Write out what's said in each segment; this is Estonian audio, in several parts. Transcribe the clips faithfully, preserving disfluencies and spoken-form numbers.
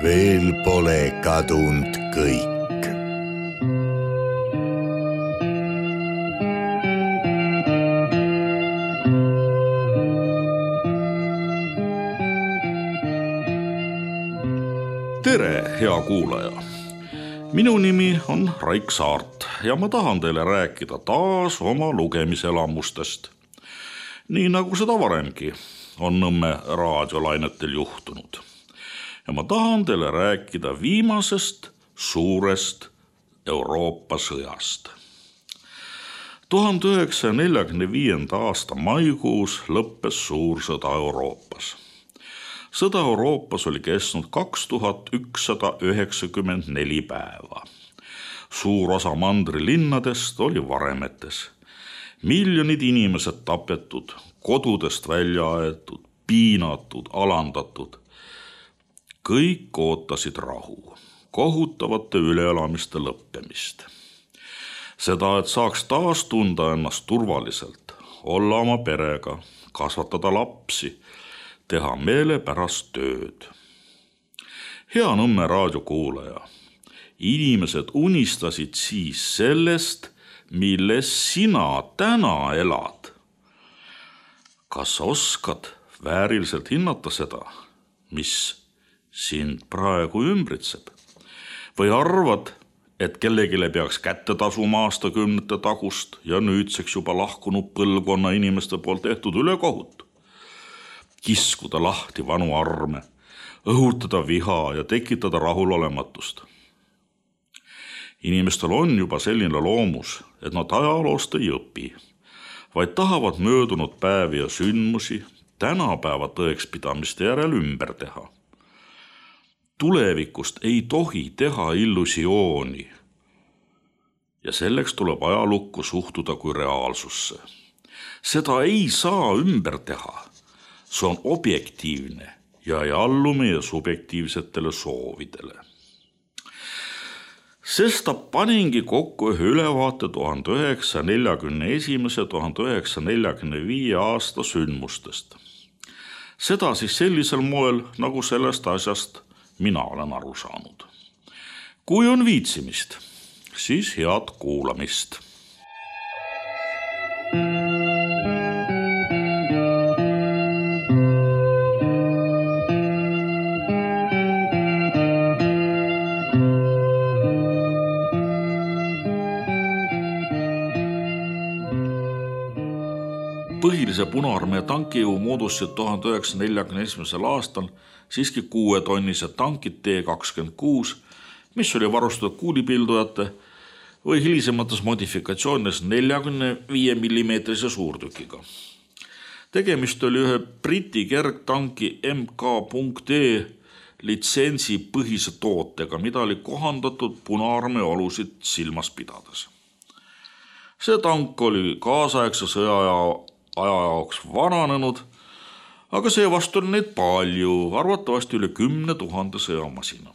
veel pole kadunud kõik. Tere, hea kuulaja! Minu nimi on Raik Saart ja ma tahan teile rääkida taas oma lugemiselamustest. Nii nagu seda varemgi on Nõmme raadiolainetel juhtunud. Ja ma tahan teile rääkida viimasest suurest Euroopa sõjast. tuhande üheksasaja neljakümne viienda aasta maikuus lõppes suur sõda Euroopas. Sõda Euroopas oli kestnud kaks tuhat ükssada üheksakümmend neli päeva. Suur osa mandri linnadest oli varemetes. Miljonid inimesed tapetud, kodudest välja aetud, piinatud, alandatud. Kõik ootasid rahu, kohutavate üleelamiste lõppemist. Seda, et saaks taas tunda ennast turvaliselt, olla oma perega, kasvatada lapsi, teha meelepärast tööd. Hea Nõmme raadiokuulaja, inimesed unistasid siis sellest, milles sina täna elad. Kas oskad vääriliselt hinnata seda, mis sind praegu ümbritseb? Või arvad, et kellegile peaks kätte tasuma aastakümnete tagust ja nüüdseks juba lahkunud põlvkonna inimeste poolt tehtud ülekohut? Kiskuda lahti vanu arme, õhutada viha ja tekitada rahulolematust. Inimestel on juba selline loomus, et nad ajaloost ei õpi, vaid tahavad möödunud päevi ja sündmusi tänapäeva tõekspidamiste järel ümber teha. Tulevikust ei tohi teha illusiooni ja selleks tuleb ajalukku suhtuda kui reaalsusse. Seda ei saa ümber teha. See on objektiivne ja ei allu meie subjektiivsetele soovidele. Sesta paningi kokku ühe ülevaate tuhande üheksasaja neljakümne esimese ja tuhande üheksasaja neljakümne viie aasta sündmustest. Seda siis sellisel moel, nagu sellest asjast mina olen aru saanud. Kui on viitsimist, siis head kuulamist. Põhilise Punaarmee tankijõu moodustasid tuhande üheksasaja neljakümne esimesel aastal siiski kuuetonnised tankid T kakskümmend kuus, mis oli varustatud kuulipildujate või hilisemates modifikatsioonides neljakümne viie millimeetrise suurtükiga. Tegemist oli ühe Briti kergtanki M K.E litsentsi põhise tootega, mida oli kohandatud Punaarmee olusid silmas pidades. See tank oli kaasaegse sõja aja jaoks vananenud, aga seevastu oli neid palju, arvatavasti üle kümne tuhande sõjamasina.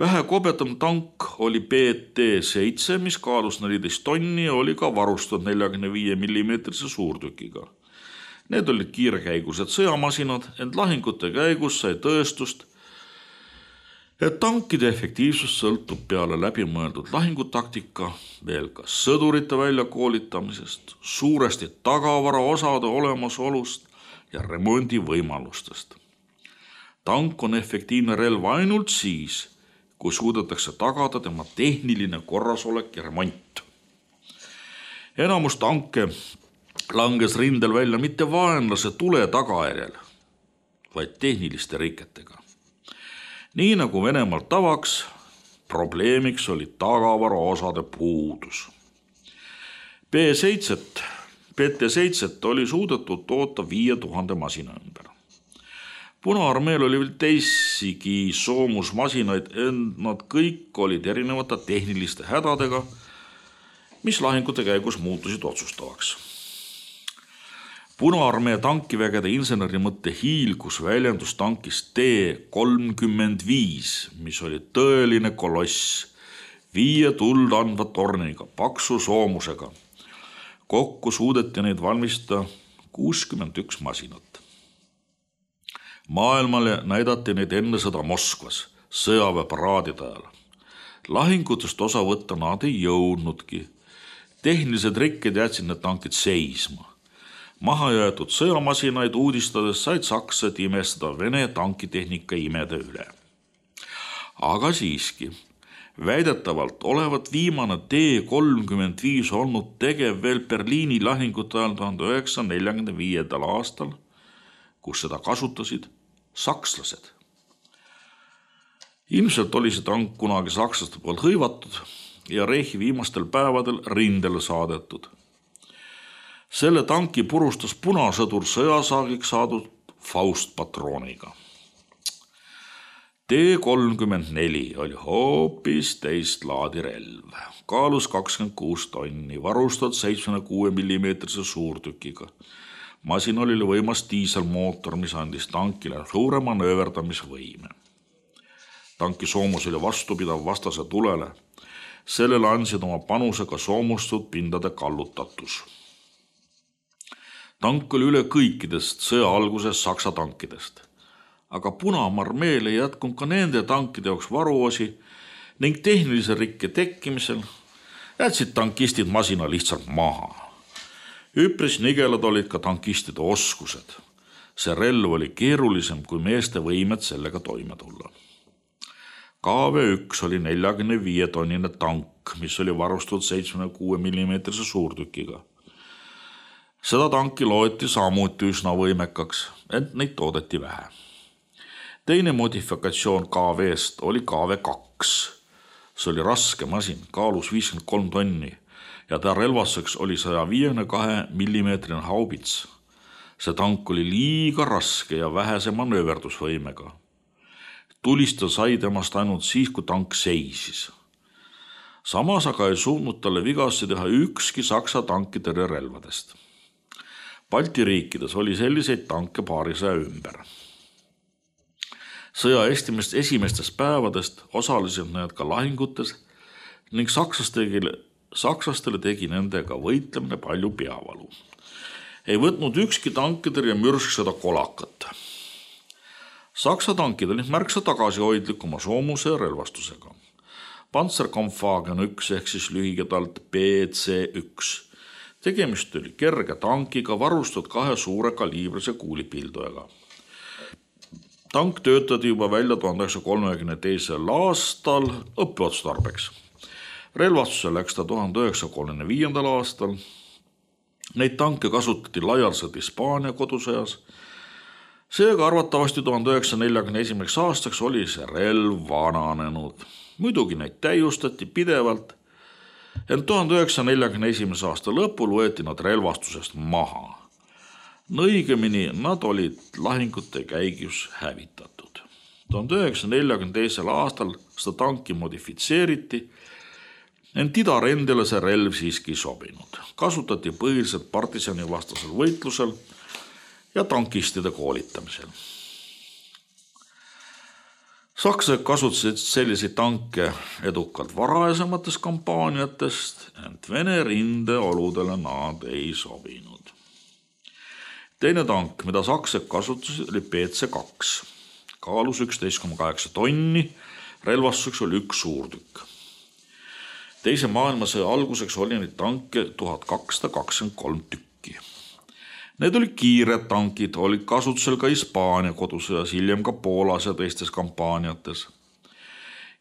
Vähe kobetam tank oli B T seitse, mis kaalus neliteist tonni ja oli ka varustatud neljakümne viie millimeetrise suurtükiga. Need olid kiirkäigused sõjamasinad, ent lahingute käigus sai tõestust, et tankide efektiivsus sõltub peale läbimõeldud lahingutaktika veel ka sõdurite väljakoolitamisest, suuresti tagavara osade olemasolust ja remondi võimalustest. Tank on efektiivne relv ainult siis, kui suudetakse tagada tema tehniline korrasolek ja remont. Enamus tanke langes rindel välja mitte vaenlase tule tagajärjel, vaid tehniliste riketega. Nii nagu Venemaalt tavaks, probleemiks oli tagavara osade puudus. B T seitse oli suudetud toota viie tuhande masina ümber. Punaarmeel oli veel teisigi soomusmasinaid, ent nad kõik olid erinevate tehniliste hädadega, mis lahingute käigus muutusid otsustavaks. Punaarmee tankivägede inseneri mõtte hiilgus väljendus tankis T kolmkümmend viis, mis oli tõeline koloss, viie tuld andva torniga, paksu soomusega. Kokku suudeti neid valmistada kuuskümmend üks masinat. Maailmale näidati neid enne sõda Moskvas, sõjaväeparaadide ajal. Lahingutest osa võtta nad ei jõudnudki. Tehnilised rikked jätsid need tankid seisma. Maha jäetud sõjamasinaid uudistades said sakslased imestada Vene tankitehnika imede üle. Aga siiski, väidetavalt olevat viimane T kolmkümmend viis olnud tegev veel Berliini lahingute ajal tuhande üheksasaja neljakümne viiendal aastal, kus seda kasutasid sakslased. Ilmselt oli see tank kunagi sakslaste poolt hõivatud ja Reichi viimastel päevadel rindele saadetud. Selle tanki purustas punasõdur sõjasaagiks saadud Faust-patrooniga. T kolmkümmend neli oli hoopis teist laadi relv. Kaalus kakskümmend kuus tonni, varustatud seitsmekümne kuue millimeetrise suurtükiga. Masinal oli võimas diiselmootor, mis andis tankile suure manööverdamisvõime. Tanki soomus oli vastupidav vastase tulele. Sellele andsid oma panuse ka soomustud pindade kallutatus. Tank oli üle kõikidest sõja alguses saksa tankidest, aga Punamarmeel ei jätkunud ka nende tankide jaoks varuosi ning tehnilise rikke tekkimisel jätsid tankistid masina lihtsalt maha. Üpris nigelad olid ka tankistide oskused. See relv oli keerulisem kui meeste võimed sellega toime tulla. K V üks oli neljakümne viie tonnine tank, mis oli varustatud seitsmekümne kuue millimeetrise suurtükiga. Seda tanki loeti samuti üsna võimekaks, ent neid toodeti vähe. Teine modifikatsioon K V-st oli K V kaks. See oli raske masin, kaalus viiskümmend kolm tonni ja ta relvaseks oli saja viiekümne kahe millimeetrine haubits. See tank oli liiga raske ja vähese manööverdusvõimega. Tulista sai temast ainult siis, kui tank seisis. Samas aga ei suutnud talle vigasti teha ükski saksa tankitõrje relvadest. Balti riikides oli selliseid tanke paarisaja ümber. Sõja esimest, esimestest päevadest osalesid need ka lahingutes ning saksastele, saksastele tegi nendega võitlemine palju peavalu. Ei võtnud ükski tankitõrje mürsk seda kolakat. Saksa tankid olid märksa tagasihoidlikuma soomuse ja relvastusega. Panzerkampfwagen üks ehk siis lühiketalt P C üks. Tegemist oli kerge tankiga varustatud kahe suure kaliibrise kuulipildujaga. Tank töötati juba välja tuhande üheksasaja kolmekümne teisel aastal õppeotstarbeks. Relvastuse läks ta tuhande üheksasaja kolmekümne viiendal aastal. Neid tanke kasutati laialdaselt Hispaania kodusõjas. Seega arvatavasti tuhande üheksasaja neljakümne esimeseks aastaks oli see relv vananenud. Muidugi neid täiustati pidevalt, ent tuhande üheksasaja neljakümne esimese aasta lõpul võeti nad relvastusest maha. Õigemini nad olid lahingute käigus hävitatud. tuhande üheksasaja neljakümne teisel aastal seda tanki modifitseeriti, ent idarendele see relv siiski sobinud. Kasutati põhiliselt partisani vastasel võitlusel ja tankistide koolitamisel. Sakslased kasutasid selliseid tanke edukalt varasematest kampaaniatest, ent Vene rindeoludele nad ei sobinud. Teine tank, mida sakslased kasutasid, oli P C kaks. Kaalus üksteist koma kaheksa tonni, relvastuseks oli üks suurtükk. Teise maailmasõja alguseks oli neid tanke tuhat kakssada kakskümmend kolm tükki. Need olid kiired tankid, olid kasutusel ka Hispaania kodusõjas, hiljem ka Poolas ja teistes kampaaniates.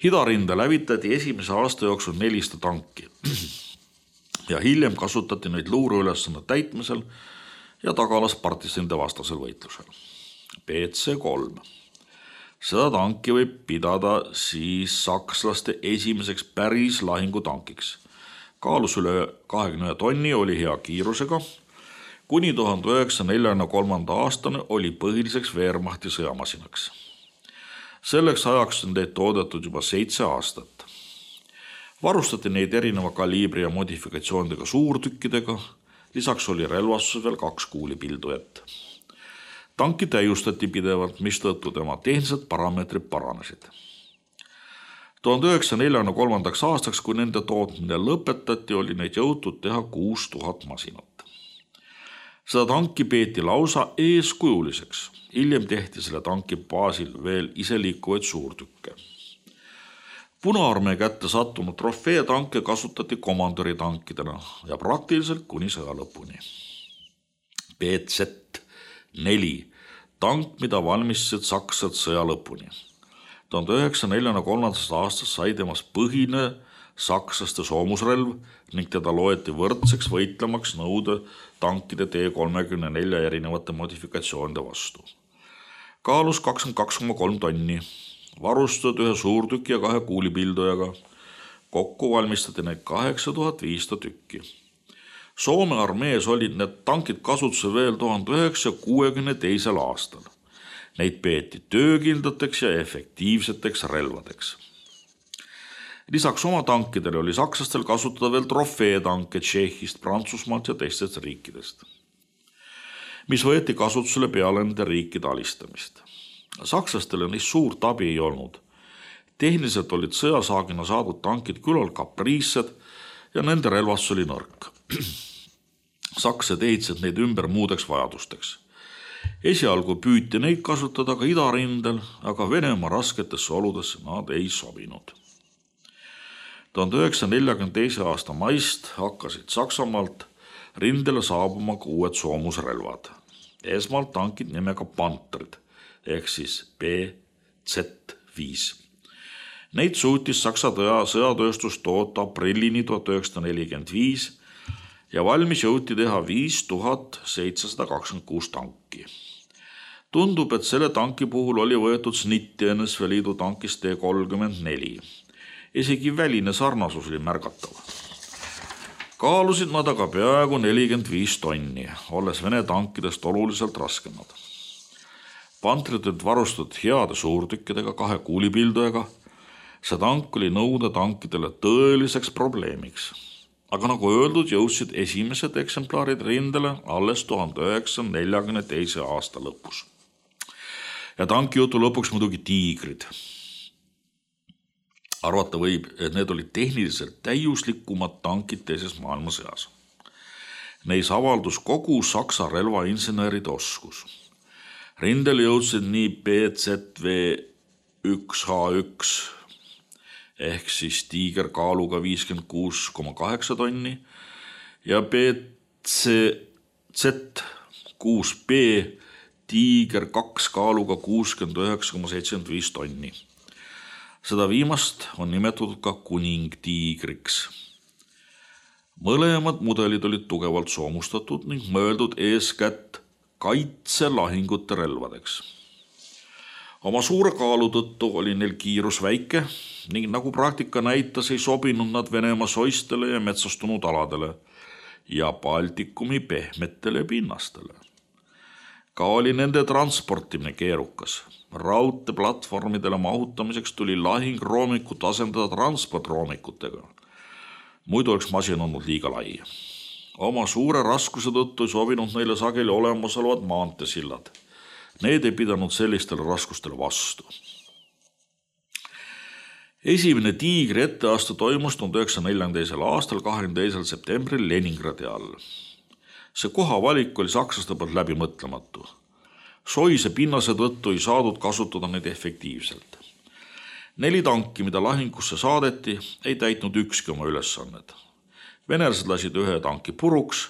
Idarinde lävitati esimese aasta jooksul nelisada tanki ja hiljem kasutati neid luureülesande täitmisel ja tagalas partisanide vastasel võitlusel. P C kolm. Seda tanki võib pidada siis sakslaste esimeseks päris lahingutankiks. Kaalus üle kahekümne ühe tonni, oli hea kiirusega. Kuni tuhande üheksasaja neljakümne kolmanda aastane oli põhiliseks Wehrmachti sõjamasinaks. Selleks ajaks on neid toodetud juba seitse aastat. Varustati neid erineva kaliibri ja modifikatsioonidega suurtükkidega, lisaks oli relvastuses veel kaks kuulipildujat. Tanki täiustati pidevalt, mistõttu tema tehnilised parameetrid paranesid. tuhande üheksasaja neljakümne kolmandaks aastaks, kui nende tootmine lõpetati, oli neid jõutud teha kuus tuhat masinat. Seda tanki peeti lausa eeskujuliseks. Hiljem tehti selle tanki baasil veel iseliikuvaid suurtükke. Punaarmee kätte sattunud trofeetanke kasutati komandöri tankidena ja praktiliselt kuni sõja lõpuni. B Z neli tank, mida valmistasid sakslased sõja lõpuni. tuhande üheksasaja neljakümne kolmandast aastast sai temast põhine sakslaste soomusrelv ning teda loeti võrdseks võitlemaks nõude tankide T kolmekümne nelja erinevate modifikatsioonide vastu. Kaalus kakskümmend kaks koma kolm tonni, varustatud ühe suurtüki ja kahe kuulipildujaga. Kokku valmistati neid kaheksa tuhat viissada tükki. Soome armees olid need tankid kasutusel veel tuhande üheksasaja kuuekümne teisel aastal. Neid peeti töökindlateks ja efektiivseteks relvadeks. Lisaks oma tankidele oli sakslastel kasutada veel trofeetanke Tšehhist, Prantsusmaalt ja teistest riikidest, mis võeti kasutusele peale nende riikide alistamist. Sakslastele neist suurt abi ei olnud. Tehniliselt olid sõjasaagina saadud tankid küllalt kapriissed ja nende relvastus oli nõrk. Sakslased ehitasid neid ümber muudeks vajadusteks. Esialgu püüti neid kasutada ka idarindel, aga Venemaa rasketesse oludesse nad ei sobinud. tuhande üheksasaja neljakümne teise aasta maist hakkasid Saksamaalt rindele saabuma ka uued soomusrelvad. Esmalt tankid nimega Pantrid ehk siis B Z viis. Neid suutis Saksa sõjatööstus toota aprillini tuhat üheksasada nelikümmend viis ja valmis jõuti teha viis tuhat seitsesada kakskümmend kuus tanki. Tundub, et selle tanki puhul oli võetud snitti N S V Liidu tankist T kolmkümmend neli. Isegi väline sarnasus oli märgatav. Kaalusid nad aga peaaegu nelikümmend viis tonni, olles Vene tankidest oluliselt raskemad. Pantrid olid varustatud heade suurtükkidega kahe kuulipildujaga. See tank oli nõude tankidele tõeliseks probleemiks. Aga nagu öeldud, jõudsid esimesed eksemplaarid rindele alles tuhande üheksasaja neljakümne teise aasta lõpus. Ja tanki jutu lõpuks muidugi tiigrid. Arvata võib, et need olid tehniliselt täiuslikumad tankid teises maailmasõjas. Neis avaldus kogu Saksa relvainseneride oskus. Rindele jõudsid nii B Z V üks H üks ehk siis Tiiger kaaluga viiskümmend kuus koma kaheksa tonni ja B Z kuus B Tiiger kaks kaaluga kuuskümmend üheksa koma seitsekümmend viis tonni. Seda viimast on nimetatud ka kuningtiigriks. Mõlemad mudelid olid tugevalt soomustatud ning mõeldud eeskätt kaitselahingute relvadeks. Oma suure kaalu tõttu oli neil kiirus väike ning nagu praktika näitas, ei sobinud nad Venemaa soistele ja metsastunud aladele ja Baltikumi pehmetele pinnastele. Ka oli nende transportimine keerukas. Raudteplatvormidele mahutamiseks tuli lahingroomikut asendada transportroomikutega. Muidu oleks masin olnud liiga lai. Oma suure raskuse tõttu ei sobinud neile sageli olemasolevad maanteesillad. Need ei pidanud sellistele raskustele vastu. Esimene Tiigri etteaste toimus tuhande üheksasaja neljakümne teisel aastal kahekümne teisel septembril Leningradi all. See kohavalik oli sakslaste poolt läbi mõtlematu. Soise pinnase tõttu ei saadud kasutada neid efektiivselt. Neli tanki, mida lahingusse saadeti, ei täitnud ükski oma ülesannet. Venelased lasid ühe tanki puruks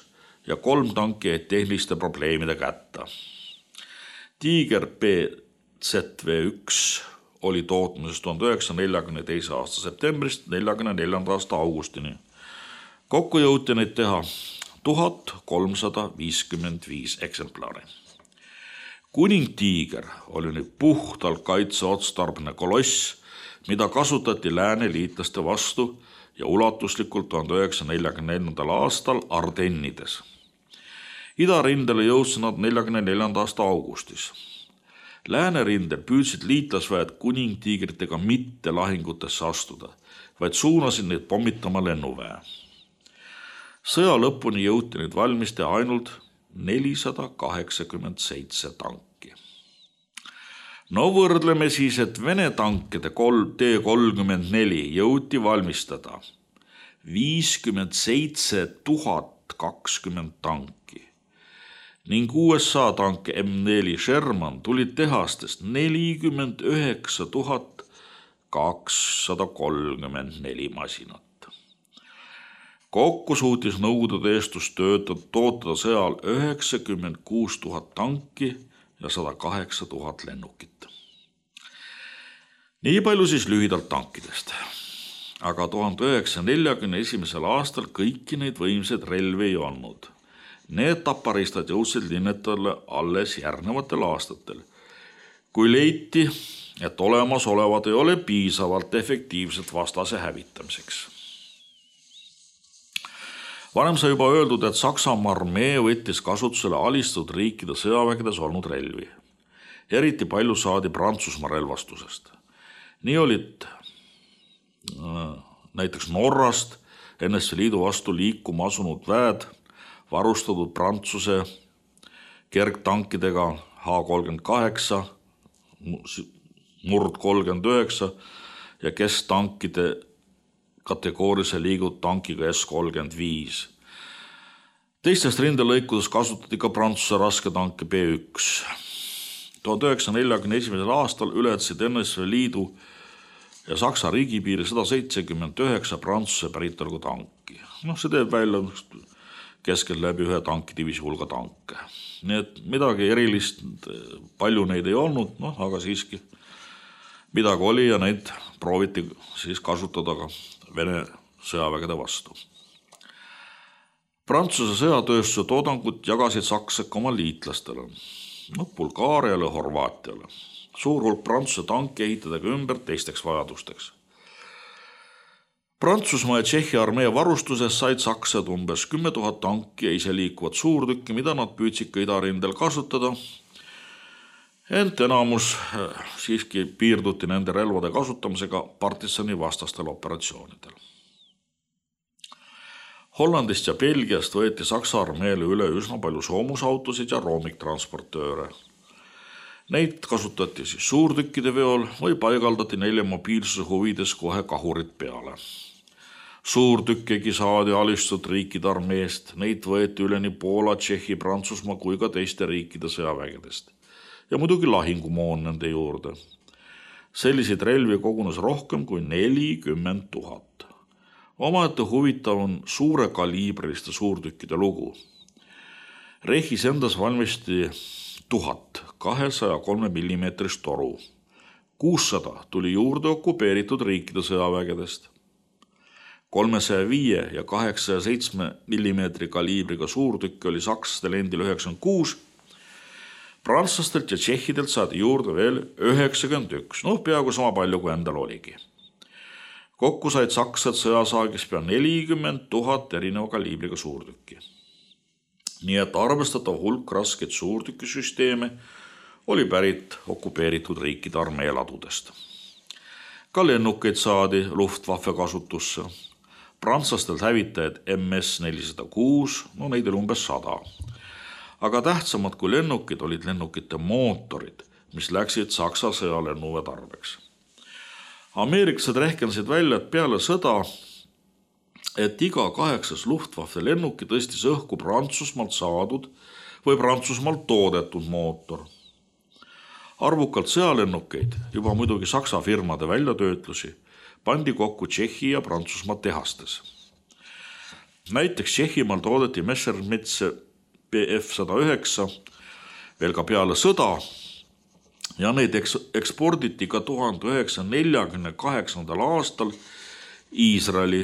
ja kolm tanki jäid tehniliste probleemide kätta. Tiiger B Z V üks oli tootmises tuhande üheksasaja neljakümne teise aasta septembrist neljakümne neljanda aasta augustini. Kokku jõuti neid teha tuhat kolmsada viiskümmend viis eksemplari. Kuningtiiger oli nüüd puhtalt kaitseotstarbne koloss, mida kasutati lääne liitlaste vastu ja ulatuslikult tuhande üheksasaja neljakümne neljandal aastal Ardennides. Idarindele jõudsid nad neljakümne neljanda aasta augustis. Läänerindel püüdsid liitlasväed kuningtiigritega mitte lahingutesse astuda, vaid suunasid neid pommitama lennuväe. Sõja lõpuni jõuti neid valmiste ainult nelisada kaheksakümmend seitse tanki. No võrdleme siis, et Vene tankide T kolmkümmend neli jõuti valmistada viiskümmend seitse tuhat kakskümmend tanki ning U S A tank M neli Sherman tulid tehastest nelikümmend üheksa tuhat kakssada kolmkümmend neli masinat. Kokku suutis Nõukogude tööstus töötada, tootada sõjal üheksakümmend kuus tuhat tanki ja sada kaheksa tuhat lennukit. Nii palju siis lühidalt tankidest. Aga tuhande üheksasaja neljakümne esimesel aastal kõiki neid võimsaid relvi ei olnud. Need taparistad jõudsid linnetele alles järgnevatel aastatel, kui leiti, et olemasolevad ei ole piisavalt efektiivselt vastase hävitamiseks. Varem sai juba öeldud, et Saksamaa armee võttis kasutusele alistatud riikide sõjavägedes olnud relvi. Eriti palju saadi Prantsusmaa relvastusest. Nii olid näiteks Norrast N S V Liidu vastu liikuma asunud väed varustatud Prantsuse kergtankidega H kolmkümmend kaheksa, Nord kolmkümmend üheksa ja kesktankide kategoorilise liigud tankiga S kolmkümmend viis. Teistest rindelõikudes kasutati ka Prantsuse rasketanke B üks. tuhande üheksasaja neljakümne esimesel aastal ületasid N S V Liidu ja Saksa riigipiiri sada seitsekümmend üheksa Prantsuse päritolu tanki. No, see teeb välja keskel läbi ühe tankidivisi hulga tanke. Nii et midagi erilist, palju neid ei olnud, no, aga siiski midagi oli ja neid prooviti siis kasutada ka Vene sõjavägede vastu. Prantsuse sõjatööstuse toodangut jagasid sakslased oma liitlastele, no, Bulgaariale ja Horvaatiale. Suur hulk Prantsuse tanki ehitada ümber teisteks vajadusteks. Prantsusmaa ja Tšehhi armee varustuses said sakslased umbes kümme tuhat tanki ja ise liikuvat suurtükki, mida nad püüdsid ka idarindel kasutada. Ent enamus siiski piirduti nende relvade kasutamisega partisani vastastel operatsioonidel. Hollandist ja Belgiast võeti Saksa armeele üle üsna palju soomusautosid ja roomiktransportööre. Neid kasutati siis suurtükkide veol või paigaldati neile mobiilsuse huvides kohe kahurid peale. Suurtükkegi saadi alistatud riikide armeest, neid võeti üle nii Poola, Tšehhi, Prantsusmaa kui ka teiste riikide sõjavägedest. Ja muidugi lahingumoon nende juurde. Selliseid relvi kogunes rohkem kui nelikümmend tuhat. Omaette huvitav on suure kaliibriliste suurtükkide lugu. Rehis endas valmisti tuhat kahesaja kolme millimeetrist toru. kuussada tuli juurde okupeeritud riikide sõjavägedest. kolmesaja viie ja kaheksasaja seitsme millimeetri kaliibriga suurtükki oli sakslastel endil üheksakümmend kuus, prantslastelt ja tšehhidelt saadi juurde veel üheksakümmend üks, noh peaaegu sama palju kui endal oligi. Kokku said sakslased sõjasaagis pea nelikümmend tuhat erineva kaliibriga suurtükki. Nii et arvestatav hulk raskeid suurtükisüsteeme oli pärit okupeeritud riikide armeeladudest. Ka lennukeid saadi Luftwaffe kasutusse. Prantslastel hävitajad M S nelisada kuus, no neid oli umbes sada. Aga tähtsamad kui lennukid olid lennukite mootorid, mis läksid Saksa sõjalennuve tarbeks. Ameeriklased rehkendasid välja, et peale sõda, et iga kaheksas Luftwaffe lennuki tõstis õhku Prantsusmaalt saadud või Prantsusmaalt toodetud mootor. Arvukalt sõjalennukeid, juba muidugi Saksa firmade väljatöötlusi, pandi kokku Tšehhi ja Prantsusmaa tehastes. Näiteks Tšehhimaal toodeti Messerschmitt B F sada üheksa veel ka peale sõda ja neid eksporditi ka tuhande üheksasaja neljakümne kaheksandal aastal Iisraeli,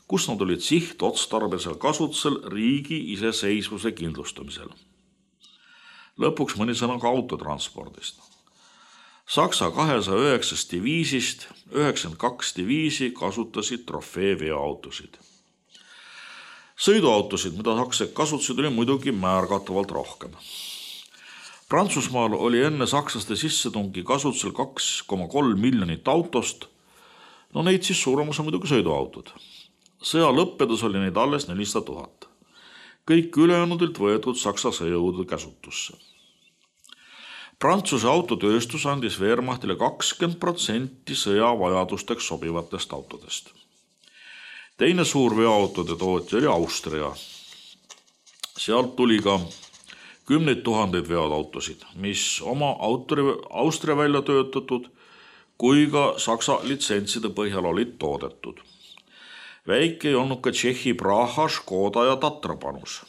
kus nad olid sihtotstarbesel kasutusel riigi iseseisvuse kindlustamisel. Lõpuks mõni sõna ka autotranspordist. Saksa kahesaja üheksast diviisist üheksakümmend kaks diviisi kasutasid trofeeveoautosid. Sõiduautosid, mida sakslased kasutasid, oli muidugi märgatavalt rohkem. Prantsusmaal oli enne sakslaste sissetungi kasutusel kaks koma kolm miljonit autost, no neid siis suurem osa muidugi sõiduautod. Sõja lõppedes oli neid alles nelisada tuhat. Kõik ülejäänudilt võetud Saksa sõjajõudude käsutusse. Prantsuse autotööstus andis Wehrmachtile kakskümmend protsenti sõjavajadusteks sobivatest autodest. Teine suur veoautode tootja oli Austria. Sealt tuli ka kümneid tuhandeid veoautosid, mis oma autori, Austria välja töötatud kui ka Saksa litsentside põhjal olid toodetud. Väike ei olnud ka Tšehhi Praha, Škoda ja Tatra panus.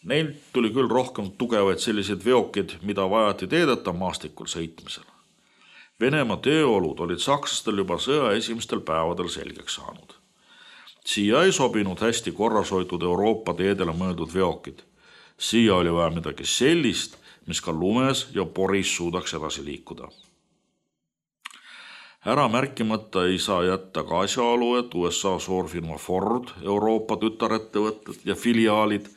Neil tuli küll rohkem tugevaid selliseid veokid, mida vajati teedeta maastikul sõitmisel. Venemaa tööolud olid sakslastel juba sõja esimestel päevadel selgeks saanud. Siia ei sobinud hästi korrashoitud Euroopa teedele mõeldud veokid. Siia oli vaja midagi sellist, mis ka lumes ja poris suudaks edasi liikuda. Ära märkimata ei saa jätta ka asjaolu, et U S A suurfirma Ford, Euroopa tütarettevõtted ja filiaalid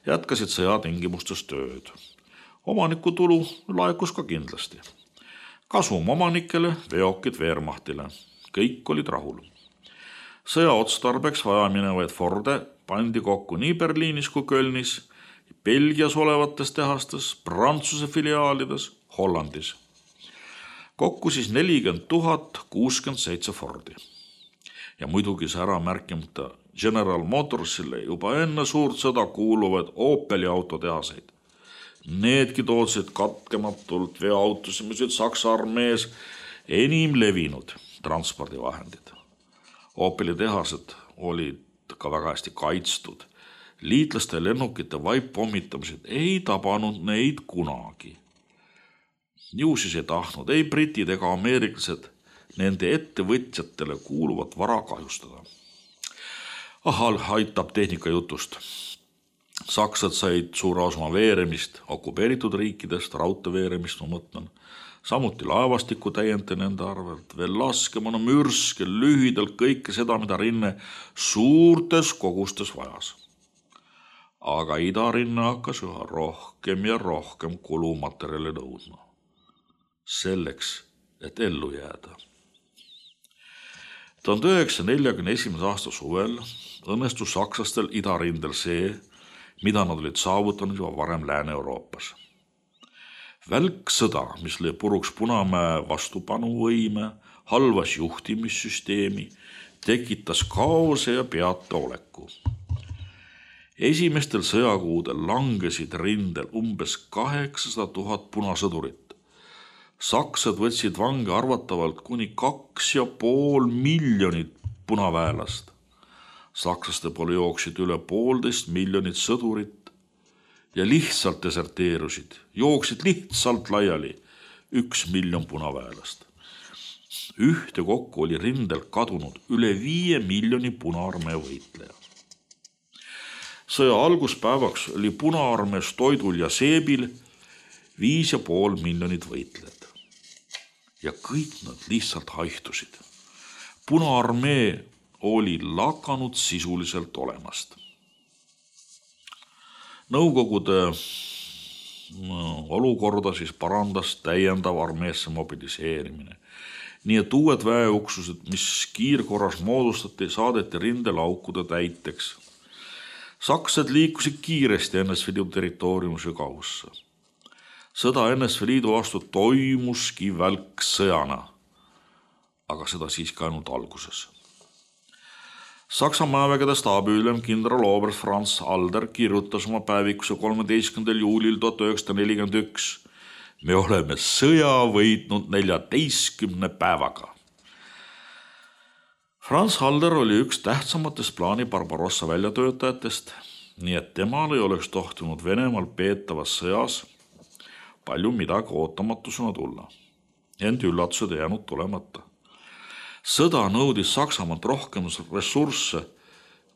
jätkasid sõja tingimustes tööd. Omanikutulu laekus ka kindlasti. Kasum omanikele, veokid Wehrmachtile. Kõik olid rahul. Sõja otstarbeks vajaminevaid Forde pandi kokku nii Berliinis kui Kölnis, Belgias olevates tehastes, Prantsuse filiaalides, Hollandis. Kokku siis nelikümmend tuhat kuuskümmend seitse Fordi. Ja muidugi see ära märkimata General Motorsile juba enne suurt sõda kuuluvad Opeli autotehaseid. Needki tootsid katkematult veoautosid, mis olid Saksa armees enim levinud transpordivahendid. Opeli tehased olid ka väga hästi kaitstud. Liitlaste lennukite vaippommitamised ei tabanud neid kunagi. Juusis ei tahtnud ei britid ega ameeriklased nende ettevõtjatele kuuluvat vara kahjustada. Ahal aitab tehnika jutust. Saksad said suure osa veeremist, okupeeritud riikidest, raudteeveeremist, ma mõtlen. Samuti laevastiku täiente nende arvelt, veel laskemana mürske, lühidalt kõike seda, mida rinne suurtes kogustes vajas. Aga idarinne hakkas üha rohkem ja rohkem kulumaterjali nõudma. Selleks, et ellu jääda. tuhande üheksasaja neljakümne esimese aasta suvel õnnestus sakslastel idarindel see, mida nad olid saavutanud juba varem Lääne-Euroopas. Välksõda, mis lõi puruks Punamäe vastupanuvõime, halvas juhtimissüsteemi, tekitas kaose ja peataoleku. Esimestel sõjakuudel langesid rindel umbes kaheksasada tuhat punasõdurit. Saksad võtsid vange arvatavalt kuni kaks ja pool miljonit punaväelast. Sakslaste poole jooksid üle poolteist miljonit sõdurit ja lihtsalt deserteerusid, jooksid lihtsalt laiali üks miljon punaväelast. Ühte kokku oli rindel kadunud üle viie miljoni punaarmee võitleja. Sõja alguspäevaks oli punaarmees toidul ja seebil viis ja pool miljonit võitlejad. Ja kõik nad lihtsalt haihtusid. Punaarmee oli lakanud sisuliselt olemast. Nõukogude olukorda siis parandas täiendav armeesse mobiliseerimine. Nii et uued väeuksused, mis kiirkorras moodustati, saadeti rindelaukude täiteks. Saksad liikusid kiiresti N S V Liidu territooriumi sügavusse. Sõda N S V Liidu vastu toimuski välksõjana, aga seda siiski ainult alguses. Saksa maavägede staabiülem kindral Oberst Franz Halder kirjutas oma päevikusse kolmeteistkümnendal juulil tuhat üheksasada nelikümmend üks. Me oleme sõja võitnud neljateistkümne päevaga. Franz Halder oli üks tähtsamatest plaani Barbarossa väljatöötajatest, nii et temal ei oleks tohtinud Venemaal peetavas sõjas palju midagi ootamatusena tulla. Ent üllatused ei jäänud tulemata. Sõda nõudis Saksamaalt rohkem ressursse,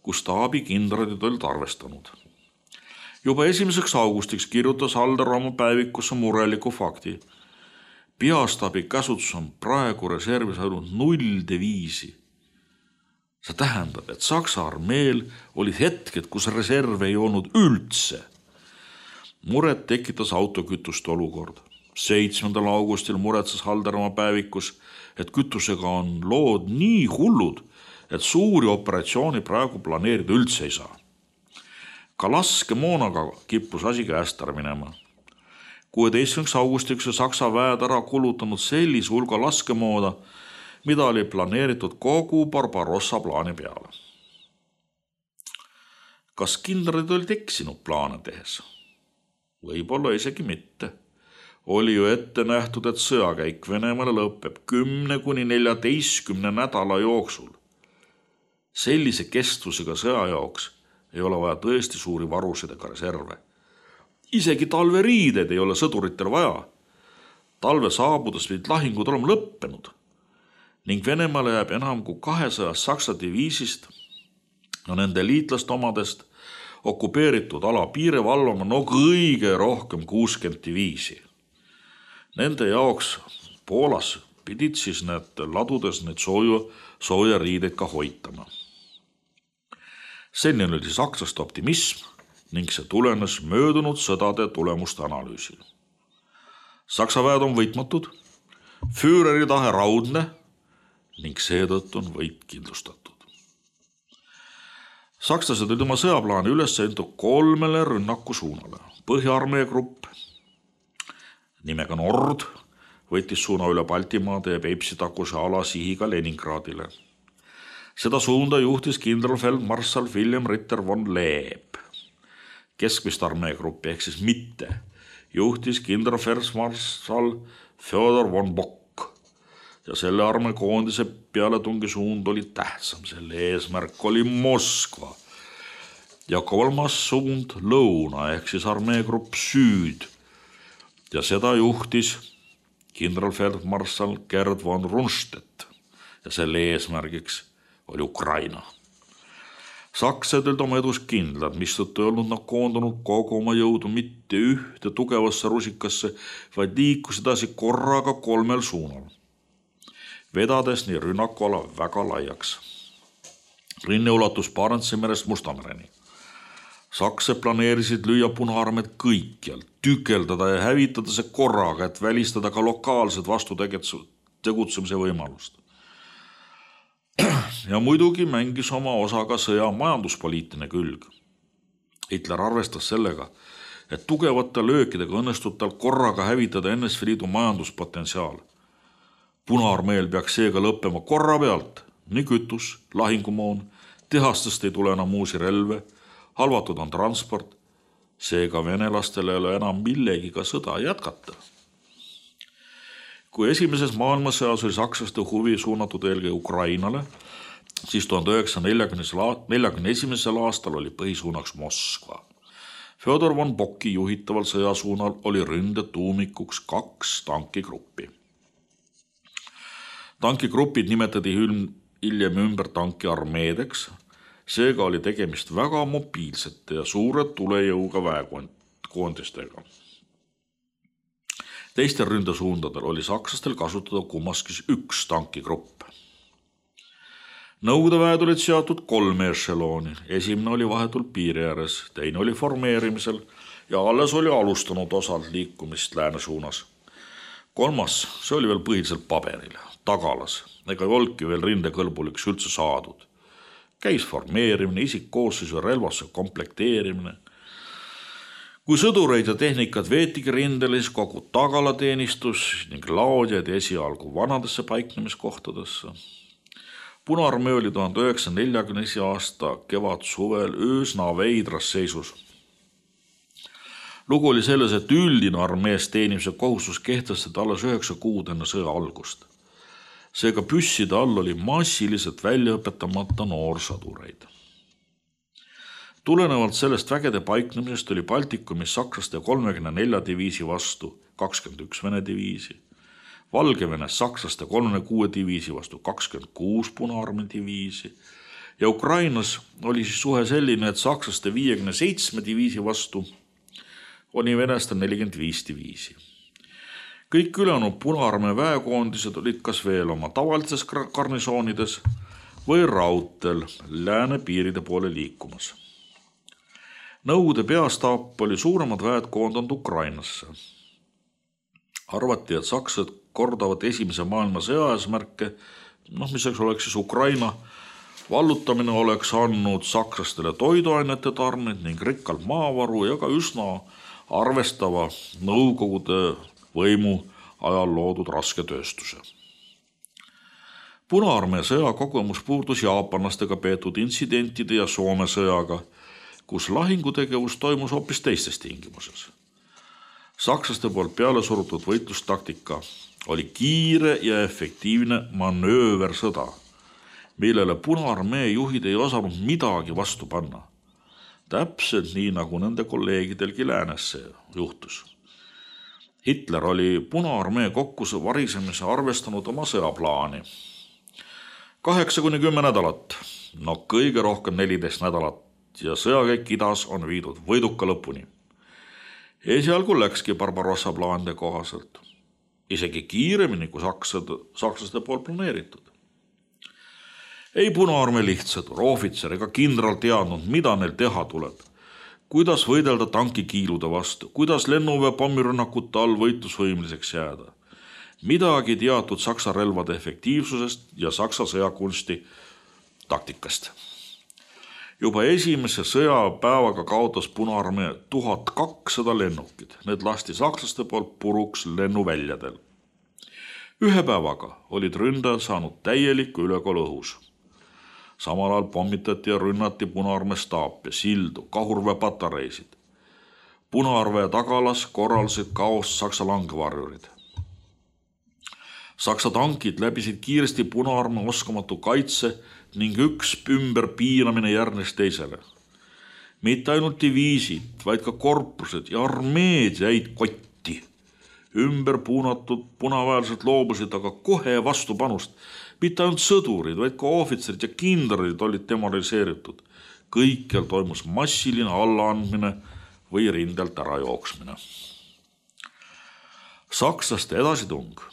kus staabikindralid olid arvestanud. Juba esimeseks augustiks kirjutas Halder oma päevikusse mureliku fakti. Peastaabi käsutus on praegu reservis ainult null deviisi. See tähendab, et Saksa armeel olid hetked, kus reserve ei olnud üldse. Muret tekitas autokütuste olukord. seitsmendal augustil muretses Halder oma päevikus, et kütusega on lood nii hullud, et suuri operatsiooni praegu planeerida üldse ei saa. Ka laskemoonaga kippus asi käest ära minema. kuueteistkümnendaks augustiks Saksa väed ära kulutanud sellise hulga laskemooda, mida oli planeeritud kogu Barbarossa plaani peale. Kas kindralid olid eksinud plaane tehes? võib-olla isegi mitte. Oli ju ette nähtud, et sõjakäik Venemaale lõpeb kümne kuni neljateistkümne nädala jooksul. Sellise kestvusega sõja jaoks ei ole vaja tõesti suuri varusid ega reserve. Isegi talveriided ei ole sõduritel vaja. Talve saabudes pidid lahingud olema lõppenud ning Venemaale jääb enam kui kahesaja saksa diviisist ja nende liitlaste omadest okupeeritud ala piire valvama no kõige rohkem kuuskümmend diviisi. Nende jaoks Poolas pidid siis need ladudes need sooja, sooja riideid ka hoitama. Selline oli sakslaste optimism ning see tulenes möödunud sõdade tulemuste analüüsil. Saksa väed on võitmatud, Führeri tahe raudne ning seetõttu on võit kindlustatud. Sakslased olid oma sõjaplaani üles sõinud kolmele rünnaku suunale. Põhja-armee grupp nimega Nord võttis suuna üle Baltimaade ja Peipsi-takuse ala sihiga Leningradile. Seda suunda juhtis kindralfeldmarssal Wilhelm Ritter von Leeb. Keskmist armeegruppi ehk siis mitte juhtis kindralfeldmarssal Fjodor von Bock ja selle armeekoondise pealetungi suund oli tähtsam. Selle eesmärk oli Moskva ja kolmas suund lõuna ehk siis armeegrupp Süd ja seda juhtis kindralfeldmarssal Gerd von Rundstedt ja selle eesmärgiks oli Ukraina. Saksad olid oma edus kindlad, mistõttu ei olnud nad koondunud kogu oma jõudu mitte ühte tugevasse rusikasse, vaid liikus edasi korraga kolmel suunal, vedades nii rünnakuala väga laiaks. Rinne ulatus Barentsi merest Mustamereni. Saksad planeerisid lüüa Punaarmeed kõikjal, tükeldada ja hävitada see korraga, et välistada ka lokaalsed vastutegutsemise võimalust. Ja muidugi mängis oma osa ka sõja majanduspoliitiline külg. Hitler arvestas sellega, et tugevate löökidega õnnestub tal korraga hävitada N S V Liidu majanduspotentsiaal. Punaarmeel peaks seega lõppema korra pealt, nii kütus, lahingumoon, tehastest ei tule enam uusi relve, halvatud on transport, seega venelastel ei ole enam millegiga sõda jätkata. Kui esimeses maailmasõjas oli sakslaste huvi suunatud eelkõige Ukrainale, siis tuhande üheksasaja neljakümne esimesel aastal oli põhisuunaks Moskva. Fjodor von Bocki juhitaval sõjasuunal oli ründe tuumikuks kaks tankigruppi. Tankigrupid nimetati hiljem ümber tankiarmeedeks, seega oli tegemist väga mobiilsete ja suure tulejõuga väekoondistega. Teistel ründesuundadel oli sakslastel kasutada kummaskis üks tankigrupp. Nõukogude väed olid seatud kolme ešelooni. Esimene oli vahetult piiri ääres, teine oli formeerimisel ja alles oli alustanud osalt liikumist lääne suunas. Kolmas, see oli veel põhiliselt paberil, tagalas, ega ei olnudki veel rindekõlbuliks üldse saadud. Käis formeerimine, isikkoosseisu ja relvastuse komplekteerimine. Kui sõdureid ja tehnikat veetigi rindele, siis kogu tagalateenistus ning laodjad esialgu vanadesse paiknemiskohtadesse. Punaarmee oli tuhande üheksasaja neljakümne aasta kevad suvel üsna veidras seisus. Lugu oli selles, et üldine armees teenimise kohustus kehtestati alles üheksa kuud enne sõja algust. Seega püsside all oli massiliselt väljaõpetamata noorsõdureid. Tulenevalt sellest vägede paiknemisest oli Baltikumis sakslaste kolmekümne nelja diviisi vastu kakskümmend üks Vene diviisi, Valgevenes sakslaste kolmekümne kuue diviisi vastu kakskümmend kuus Punaarmee diviisi ja Ukrainas oli siis suhe selline, et sakslaste viiekümne seitsme diviisi vastu oli venestel nelikümmend viis diviisi. Kõik ülejäänud Punaarmee väekoondised olid kas veel oma tavalises garnisoonides või raudtel lääne piiride poole liikumas. Nõukogude peastaap oli suuremad väed koondanud Ukrainasse. Arvati, et sakslased kordavad esimese maailma sõja eesmärke, noh, mis oleks siis Ukraina vallutamine oleks andnud sakslastele toiduainete tarned ning rikkalt maavaru ja ka üsna arvestava Nõukogude võimu ajal loodud raske tööstuse. Punaarmee sõja kogemus puurdus jaapanlastega peetud intsidentide ja Soome sõjaga, kus lahingutegevus toimus hoopis teistes tingimuses. Sakslaste poolt peale surutud võitlustaktika oli kiire ja efektiivne manööversõda, millele Punaarmee juhid ei osanud midagi vastu panna. Täpselt nii, nagu nende kolleegidelgi läänes see juhtus. Hitler oli Punaarmee kokkuse varisemise arvestanud oma sõjaplaani. kaheksa kuni kümme nädalat, no kõige rohkem neliteist nädalat ja sõjakäik idas on viidud võiduka lõpuni. Esialgu läkski Barbarossa plaanide kohaselt, isegi kiiremini kui saksad, sakslaste poolt planeeritud. Ei Punaarmee lihtsõdur, ohvitser ega kindral teadnud, mida neil teha tuleb, kuidas võidelda tankikiilude vastu, kuidas lennuväe pommirünnakute all võitlusvõimliseks jääda. Midagi teatud saksa relvade efektiivsusest ja saksa sõjakunsti taktikast. Juba esimese sõjapäevaga kaotas Punaarmee tuhat kakssada lennukid. Need lasti sakslaste poolt puruks lennuväljadel. Ühe päevaga olid ründajad saanud täieliku ülekaal õhus. Samal ajal pommitati ja rünnati Punaarmee staape, sildu, kahurväepatareisid. Punaarmee tagalas korraldasid kaost saksa langevarjurid. Saksa tankid läbisid kiiresti Punaarmee oskamatu kaitse ning üks ümber piinamine järgnes teisele. Mitte ainult diviisid, vaid ka korpused ja armeed jäid kotti. Ümber puunatud punaväelised loobusid aga kohe vastupanust. Mitte ainult sõdurid, vaid ka ohvitserid ja kindralid olid demoraliseeritud. Kõikjal toimus massiline allaandmine või rindelt ära jooksmine. Sakslaste edasitung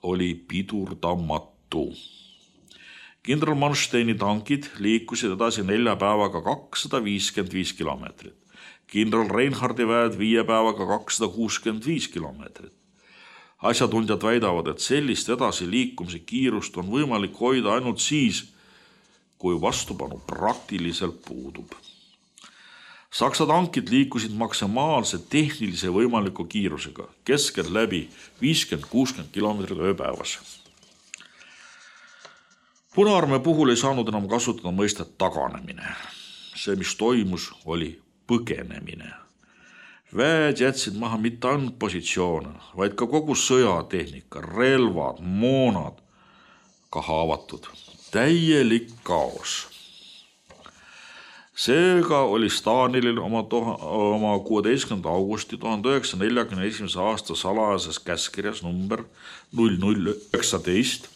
oli pidurdamatu. Kindral Mansteini tankid liikusid edasi nelja päevaga kakssada viiskümmend viis kilomeetrit. Kindral Reinhardi väed viie päevaga kakssada kuuskümmend viis kilomeetrit. Asjatundjad väidavad, et sellist edasi liikumise kiirust on võimalik hoida ainult siis, kui vastupanu praktiliselt puudub. Saksa tankid liikusid maksimaalse tehnilise võimaliku kiirusega, keskelt läbi viiskümmend kuuskümmend kilomeetrit ööpäevas. Punaarmee puhul ei saanud enam kasutada mõistet taganemine. See, mis toimus, oli põgenemine. Väed jätsid maha mitte ainult positsioone, vaid ka kogu sõjatehnika, relvad, moonad, ka haavatud. Täielik kaos. Seega oli Stalinil oma, oma kuueteistkümnenda augusti tuhande üheksasaja neljakümne esimese aasta salajases käskirjas number null null üheksateist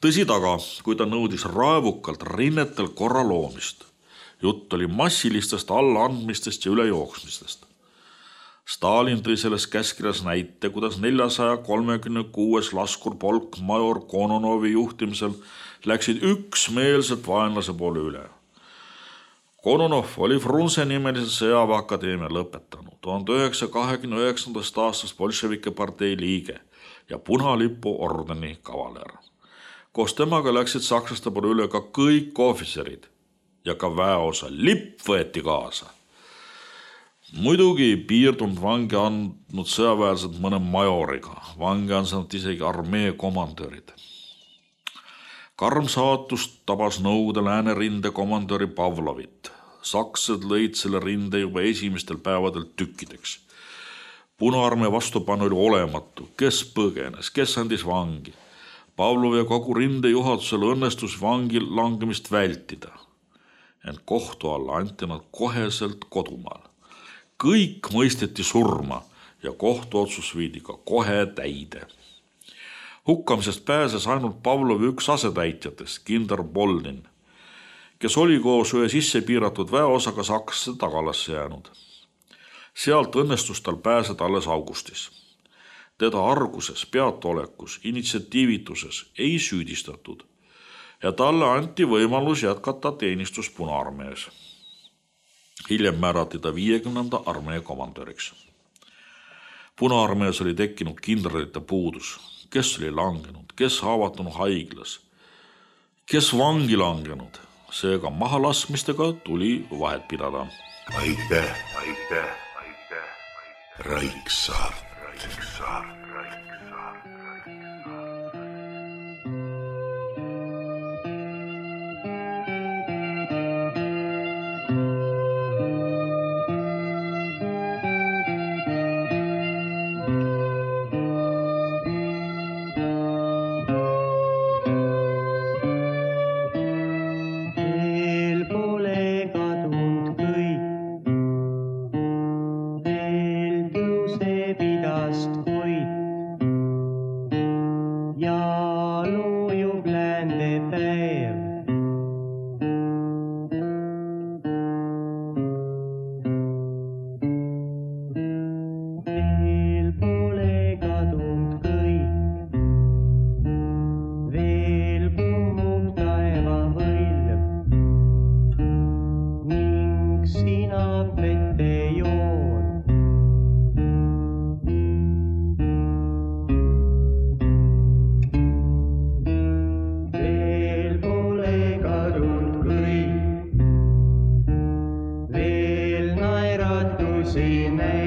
tõsi taga, kui ta nõudis raevukalt rinnetel korra loomist. Jutt oli massilistest allaandmistest ja ülejooksmistest. Stalin tõi selles käskirjas näite, kuidas neljasaja kolmekümne kuues laskurpolk major Kononovi juhtimisel läksid üksmeelselt vaenlase poole üle. Kononov oli Frunze nimelise sõjaväeakadeemia lõpetanud, tuhande üheksasaja kahekümne üheksandast aastast bolševike partei liige ja punalipu ordeni kavaler. Koos temaga läksid sakslaste poole üle ka kõik ohvitserid ja ka väeosa lipp võeti kaasa. Muidugi ei piirdunud vangi andnud sõjaväelised mõne majoriga, vangi on saanud isegi armee komandörid. Karm saatus tabas Nõukogude läänerinde komandöri Pavlovit. Saksad lõid selle rinde juba esimestel päevadel tükkideks. Punaarmee vastupanu oli olematu, kes põgenes, kes andis vangi. Pavlov ja kogu rinde juhatusel õnnestus vangil langemist vältida. Ent kohtu alla anti nad koheselt kodumaal. Kõik mõisteti surma ja kohtuotsus viidi ka kohe täide. Hukkamisest pääses ainult Pavlovi üks asetäitjatest, kindral Boldin, kes oli koos ühe sisse piiratud väeosaga Saksasse tagalasse jäänud. Sealt õnnestus tal pääseda alles augustis. Teda arguses, peatolekus, initsiatiivituses ei süüdistatud ja talle anti võimalus jätkata teenistus Punaarmees. Hiljem määrati ta viiekümnenda armee komandöriks. Punaarmees oli tekkinud kindralite puudus, kes oli langenud, kes haavatunud haiglas, kes vangi langenud. Seega mahalaskmistega tuli vahet pidada. Aitäh, aitäh, aitäh, Raiksaar. Raiksaar. voolab vette joon. Veel pole kadunud kõik, veel naeratusi näib.